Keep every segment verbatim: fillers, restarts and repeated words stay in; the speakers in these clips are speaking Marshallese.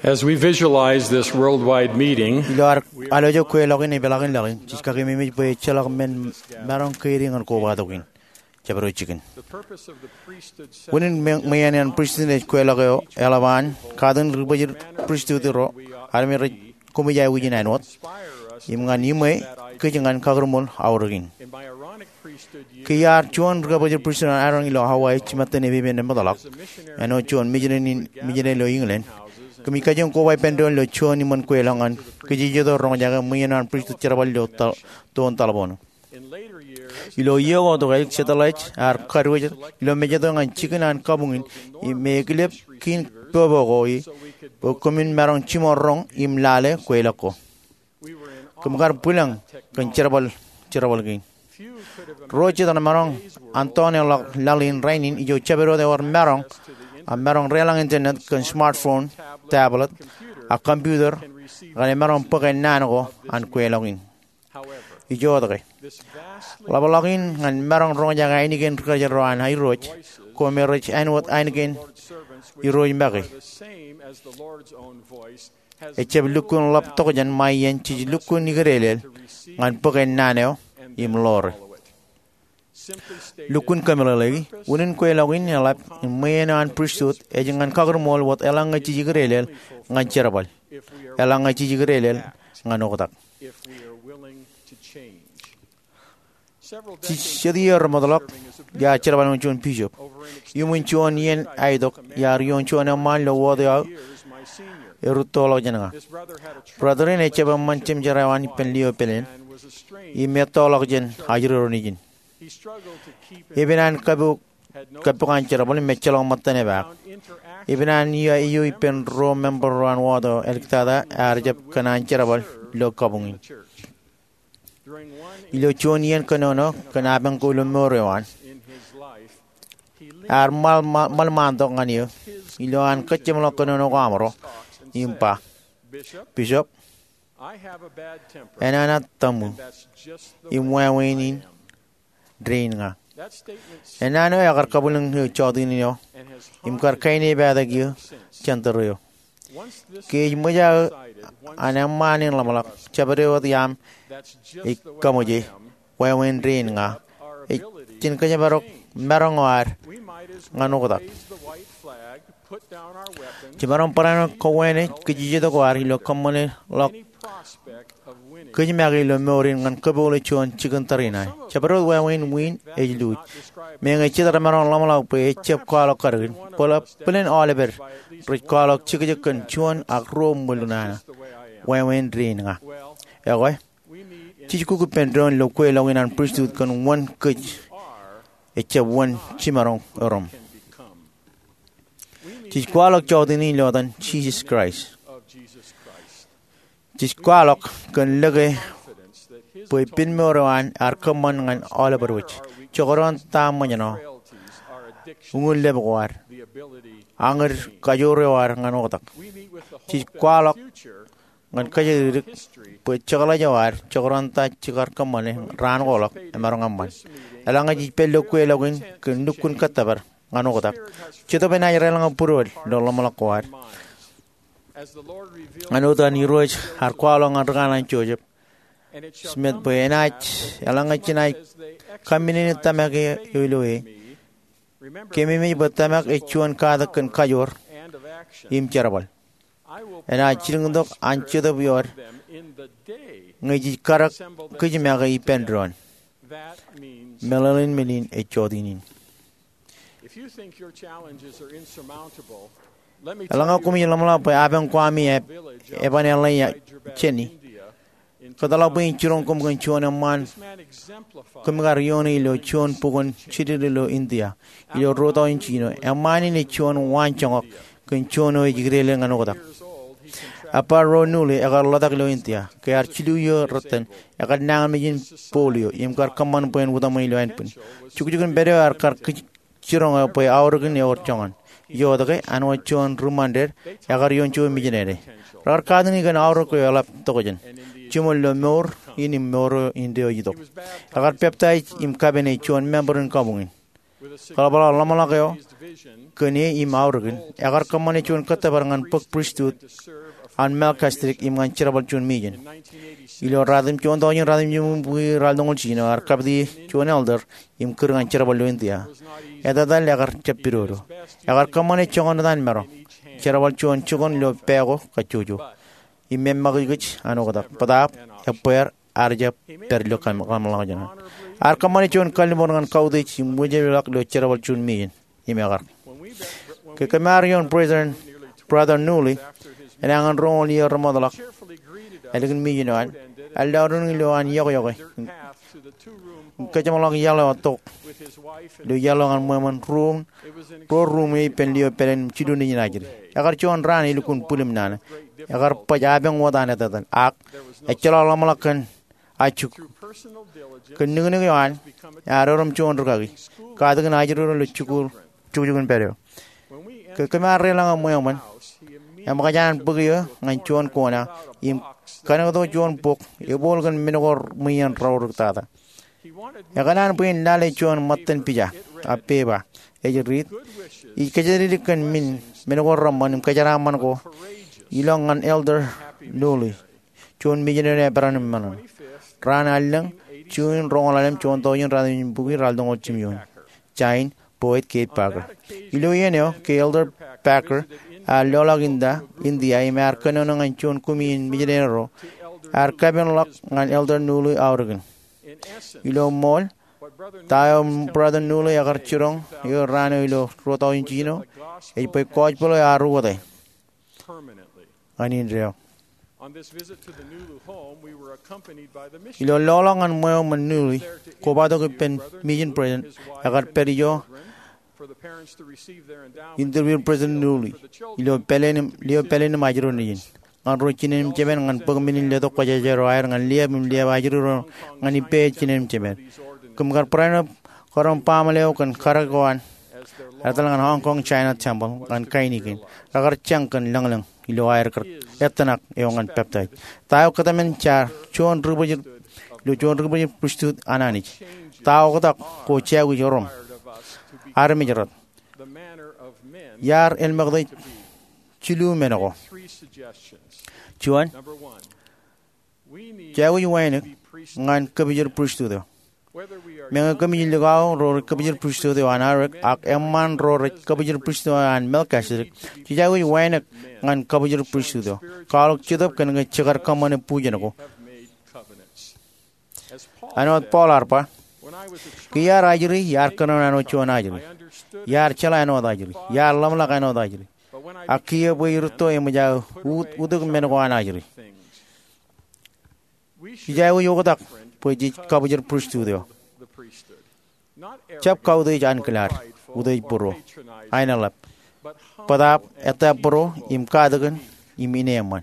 As we visualize this worldwide meeting, ilo ad alooj kweilọk in epeḷaakin laḷ in, jej kakememej bwe ejjeḷọk men maroñ keidi ñan kobatok in. Jabdewōt jikin. Unin ṃweien an pristut ej kweilọk eo eḷap an katin ri bōjjān pristut ro armej rej koṃij aikuj in āinwōt im ñan iṃwe kōj ñan kakūrmol aorōk in. Ke iar juon ri kabōjjān pristut an Aaron ilo Hawaii jimattan epepen eṃṃanḷọk, āinwōt juon mijinene ilo England, kōmij kajjioñ koba ippān doon ilo juon iṃōn kweilọk ñan kōjatdikdik roñjake ṃweien an pristut jerbal ilo toon taḷboon. Ilo iiō ko, satellite ear kadiwōj ilo Mājto ñan jikin an kabuñ in im ekilep kiin popo ko ie bwe kōmin maroñ jiṃor roñ im lale kweilọk ko. Kōm kar bwilōñ kōn jerbal, jerbal kein. Ro jet remaroñ an toneḷọk laḷ in rainin ijo jabdewōt ewōr maroñ, a maroñ deḷọñ internet kōn smartphone, tablet, a computer, ak emaroñ bōk ennaan ko an kweilọk in. Ijoke, ḷapḷọk in ñan maroñ roñjake ainikien ri kōjro an airooj ko me rej āinwōt ainikien irooj make ejjab lukkuun ḷap tokjān ṃae iien jej lukkuun ikdeḷeḷ ñan bōk ennaan eo im ḷoore. Lukkuun kōmeḷeḷeiki, unin kweilọk in eḷap im ṃweien an pristut ej ñan kakūrmol wōt eḷaññe jej ikdeḷeḷ ñan jerbal, eḷaññe jej ikdeḷeḷ ñan oktak. Jet iiō remootḷọk iar jerbal ñan juon bishop. Iuṃwin juon iien aitok iar ioon juon eṃṃaan ilo wōt eo aō erūttoḷọk jān ña. Brother in ejjab eṃṃan jemjerā eo an ippān liō pāleen im ettoḷọk jān ajri ro nejin. Epen an kappok an jerbal im ejjeḷọk ṃōttan epaak. Epen an iiō eio ippān ruo member ro an wōt eo āliktata ear jab kōn an jerbal ilo kabuñ in. Ilo juon iien kōnono kōn apañ ko ilo mour eo an, ear ṃalṃaantok ñan eō ilo an kōjjeṃḷọk kōnono ko aṃro im ba, "Bishop, enana tōṃu, im wāween in dein ña." Ennaan eo ekar kabwilōñ eō jọteen in eo im kar kainepata eō jān tōre eo. Ke ej ṃōj aō an eṃṃaan in ḷōmṇak, jabdewōt iaam ej kaṃōje, "Wāween dein ña," ej jen kōjparok maroñ eo ad ñan oktak. Jemaroñ barāinwōt kowānōk kōjatdikdik ko ad ilo kōṃṃane ḷọk kōj make ilo mour in ñan kōpool juon jikin tariṇae. Jabdewōt wāween wiin ej luuj. Meñe jet remaroñ ḷōmṇak bwe ejjab kwaḷọk kadkun, bōlen aolepād rej kwaḷọk jekjek kōn juon ak ruo ṃwil nana. "Wāween dein ña." Ekwe, jej kuk ippān doon ilo kweilọk in an pristut kōn wōn kōj ejjab wōn jimaroñ erom. Jej kwaḷọk jọteen in ilo etan Jisōs Kraist. Jej kwaḷọk kōn lōke bwe ippān mour eo an ear kōṃṃan ñan aolep wōj, jekdọọn ta ṃōjṇọ, uññūn lep ko ad, añōd kajoor eo ad ñan oktak. Jej kwaḷọk ñan kōjatdikdik bwe jekḷaj eo ad, jekdọọn ta jekar kōṃṃane raan ko ḷọk, emaroñ eṃṃan. Eḷaññe jej pād ilo kweilọk in kōn lukkuun kōttōpar ñan oktak, Jetōb enaaj deḷọñ būruod ilo ḷōmṇak ko ad. Ñan wōt an Irooj ear kwaḷọk ñan rūkanaan Joseph Smith bwe enaaj, eḷaññe jenaaj kamminene tōmak eo ilo e, kememej bwe tōmak ej juon katak kōn kajoor im jerbal. Enaaj jilkintok an Jetōb iood ñe jej kadek kōj make ippān doon. Meḷeḷein men in ej jọteen in. Eḷaññe koṃij ḷōmṇak bwe apañ ko ami eban eḷḷā jāni, kōtḷọk bwe in jiroñ koṃ kōn juon eṃṃaan koṃ kar ioone ilo juon bukwōn jidik ilo India ilo ruo tọujin jiljino. Eṃṃaan in ej juon waanjoñak kōn juon eo ej ikdeḷeḷ ñan oktak. Ebar ro nūli ekar ḷotak ilo India. Ke ear jilu iiō rōtan, ekar nañinmej in polio im kar kōṃṃan bwe en utaṃwe ilo ānbwin. Jukjukin pād eo ear kar jiroñ eō bwe aorōkin ewōr joñan. Ijoke, āinwōt juon ri ṃandeed, ekar ioon juon mijinene. Rekar katakin kōn aorōk eo eḷap tokjān, jiṃor ilo mour in im mour eo ilo itok. Ekar peptaij im kapene juon member in kabuñ in. Kōḷapḷọk ḷōmṇak eo kōn e im aorōkin, ekar kōṃṃane juon kōttōpar ñan bōk pristut an Melkisedek im ñan jerbal juon mijen. Ilo ratimjuon, juon tọujin ratimjuon bukwi ralitōñoul jiljino, ear kapiti juon elder im kūr ñan jerbal ilo India. Etetal ekar jab pidodo. Ekar kōṃṃane joñan etan maroñ, jerbal juon jukun ilo pā ko kajjojo, im eṃṃakijkij an oktak. Bōtaab, ebbeer, ear jab pād ilo kaṃ-, kaṃṃoolol ḷọk jān an. Ear kōṃṃane juon kalliṃur ñan kautiej im wōjepḷọk ilo jerbal juon mijen im ekar. Ke kōm ar ioon President, Brother Newley, enañin roñoul iiō remootḷọk ālikin mijen eo an, ear lọriṇ ilo an iọkwe im kōjeṃḷọk iaḷ eo tok ilo iaḷ eo ñan ṃweo ṃōn ruo, ruo ruum eo ippān lio pāleen jilu nejin ajri. Ekar juon raan elukkuun bwilōñ naan. Ekar baj apañ wōt an etetal, ak ejjeḷọk ḷōmṇak kōn ajri. Kōn niknik eo an, ear erom juon rūkaki, katakin ajri ro ilo jikuuḷ jukjukin pād eo. Ke kōm ar deḷọñ ṃweo ṃōn, eṃōkaj an bōk eō ñan juon kona im kanōkto juon bok, ebooḷ kōn men ko ṃweien raorōktata. Ekōṇaan bwe in lale juon ṃōttan pija, a pepa, ej riit, ij kōjatdikdik kōn men, men ko reṃṃan im kōjeraaṃṃan ko, ilọk ñan Elder Newley, juon mijen eo eperan im ṃōṇōṇō. Raan allōñ, June roñoul ḷalem, juon tọujin ratimjuon bukwi ralitōñoul jimjuon. Jain, Boyd K. Packer. Ilo iien eo, ke Elder Packer ear loḷọk India, India, im ear kōnono ñan juon kumi in mijeneri ro, ear kapenḷọk ñan Elder Newley aorōkin. Ilo ṃool, ta eo Brother Newley ekar jiroñ eō raan eo ilo ruo tọujin jiljino, ej bwe gospel eo ear uwōte ñan indeeo. Ilo loḷọk ñan ṃweo ṃōn Newley, kobatok ippān mijen president, ekar pād ijo interview President Newley ilo pāleen im, lio pāleen im ajri ro nejin. Ñan ro jinen im jemān ñan bōk men in letok kwōjarjar eo aer ñan liab im liab ajri ro ñan ippāer jinen im jemān. Kōm kar barāinwōt kōrā im baaṃle eo kōn karōk eo an etal ñan Hong Kong China Temple ñan kain kein. Rekar jañ kōn lōñlōñ ilo aer kar ettōṇak eo ñan peptaij. Ta eo kōtmān jaar juon ri-bwijin, ilo juon ri-bwijin pristut an Anij? Ta oktak ko jāwij erom armej rot? Iar elmekte jilu men ko. Juon, jāwij wānōk ñan kōpijel pristut eo. Meñe kōmij likao ro rej kōpijel pristut eo an Arik, ak eṃṃan ro rej kōpijel pristut eo an Melkisedek, jej aikuj wānōk ñan kōpijel pristut eo. Kwaḷọk Jetōb kōn ke jekar kōṃṃane bujen ko. Āinwōt Paul ear ba, ke iar ajri, iar kōnono āinwōt juon ajri. Iar jeḷā āinwōt ajri. Iar ḷōmṇak āinwōt ajri. Ak kiiō bwe irūtto eṃōj aō ut, utuk men ko an ajri. Jej aikuj oktak bwe jej kōpijel pristut eo. Jab kautiej ankilaad, utiej būruō, aenōḷap. Bōtaab ettā būruō im katakin im ineeṃṃan.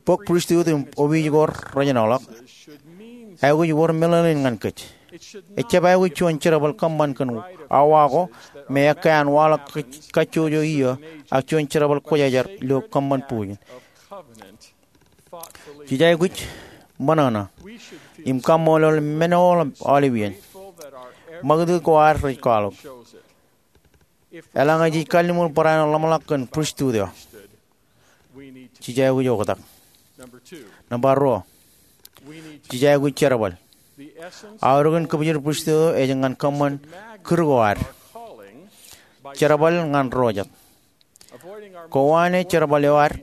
Bōk pristut im opiij ko rejenolọk aikuj wōr meḷeḷein ñan kōj. Ejjab aikuj juon jerbal kōṃṃan kōn awa ko me ekkā an waḷọk kajjojo iiō, ak juon jerbal kwōjarjar ilo kōṃṃan bujen. Jej aikuj ṃōṇōṇō im kaṃṃoolol men ko aolep iien. Ṃakūtkūt ko ad rej kwaḷọk. Eḷaññe jej kalliṃur barāinwōt ḷōmṇak kōn pristut eo, jej aikuj oktak. Nōṃba ruo, jej aikuj jerbal. Aorōkin kōpijel pristut eo ej ñan kōṃṃan kūr ko ad. Jerbal ñan ro jet. Kowaan e jerbal eo ad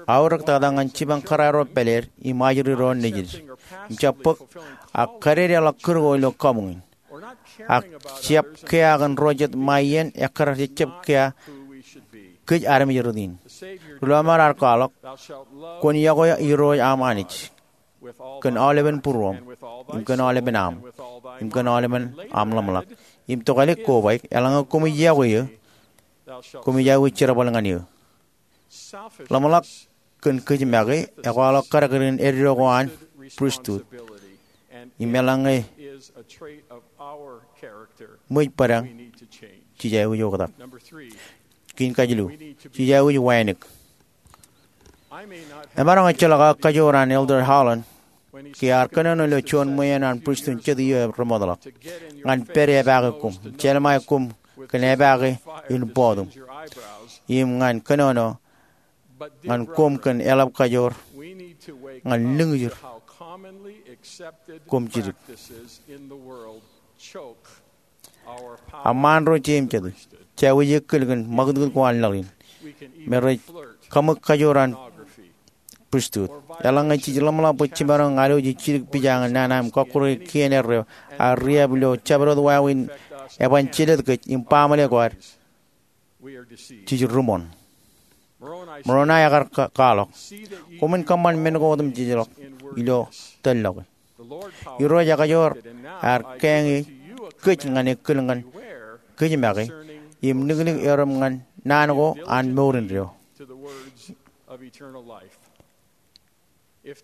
aorōktata ñan jipañ kōrā ro pāleed im ajri ro nejid im jab bōk, ak kadedeḷọk kūr ko ilo kabuñ in. Ak jab kea kōn ro jet ṃae iien ekkar jejjab kea kōj armej rot in. Ri-lọmọọr ear kwaḷọk, kwōn iọkwe Irooj aṃ Anij kōn aolepen būruōṃ, im kōn aolepen aṃ, im kōn aolepen aṃ ḷōmṇak, im tokālik kobaik. Eḷaññe koṃij iọkwe eō, koṃij aikuj jerbal ñan eō. Ḷōmṇak kōn kōj make ekwaḷọk kōdakdakdōn eddo ko an pristut. Im eḷaññe ṃōj bōdañ, jej aikuj oktak. Kein kajilu, jej aikuj wānōk. Emaroñ ejjeḷọk aō kajoor an Elder Holland ke ear kōnono ilo juon ṃweien an pristut jet iiō remootḷọk ñan pād epaake koṃ, jelṃae koṃ kōn epaake in bọọtum, im ñan kōnono ñan koṃ kōn eḷap kajoor ñan lōñjir koṃ jidik. Aṃ ro jeiū im jatū, jeiū eo ekōl kōn ṃakūtkūt ko an laḷ in me rej kaṃōk kajoor an pristut. Eḷaññe jej ḷōmṇak bwe jiṃor an alwōj jidik pija ñan nana im kọkkure kien erreo, ak riab ilo jabdewōt wāween eban jelōt kōj im baaṃle ko ad, jej ri ṃoṇ. Moroni, ekar kwaḷọk, koṃwin kōṃṃan men ko otemjejḷọk ilo tōl ḷọk. Irooj ekajoor ear kaeñe kōj ñan ekōl ñan kōj make im liklik erom ñan naan ko an mour indeeo.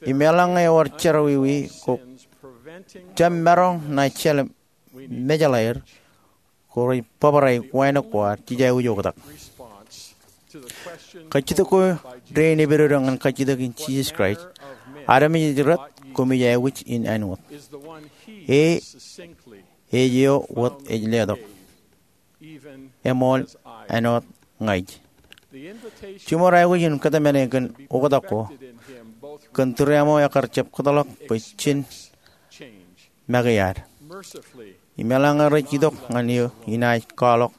Im eḷaññe ewōr jerọwiwi ko jab maroñ ṇa jeḷā mejeḷaer, ko rej bōbrae wānōk ko ad jej aikuj oktak. Kajjitōk ko dein epidodo ñan kajjitōk in Jisōs Kraist, armej ej rot, koṃij aikuj in āinwōt. E, ej eo wōt ej letok, eṃool āinwōt ña ij. Jiṃor aikuj in kōtmāne kōn oktak ko kōn tūreaṃo ekar jab kōtḷọk bwe jen make ad. Im eḷaññe rej itok ñan eō, inaaj kwaḷọk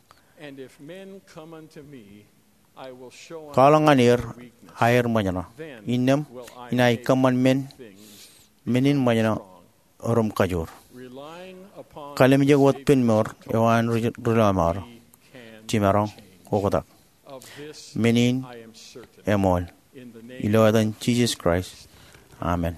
ñan er aer ṃōjṇọ. Innām inaaj kōṃṃan men, men in ṃōjṇọ rom kajoor. Kalimjek wōt pen mour eo an ri-, ri-lọmọọr, jiṃaroñ oktak. Men in eṃool. Ilo etan Jisōs Kraist, amen.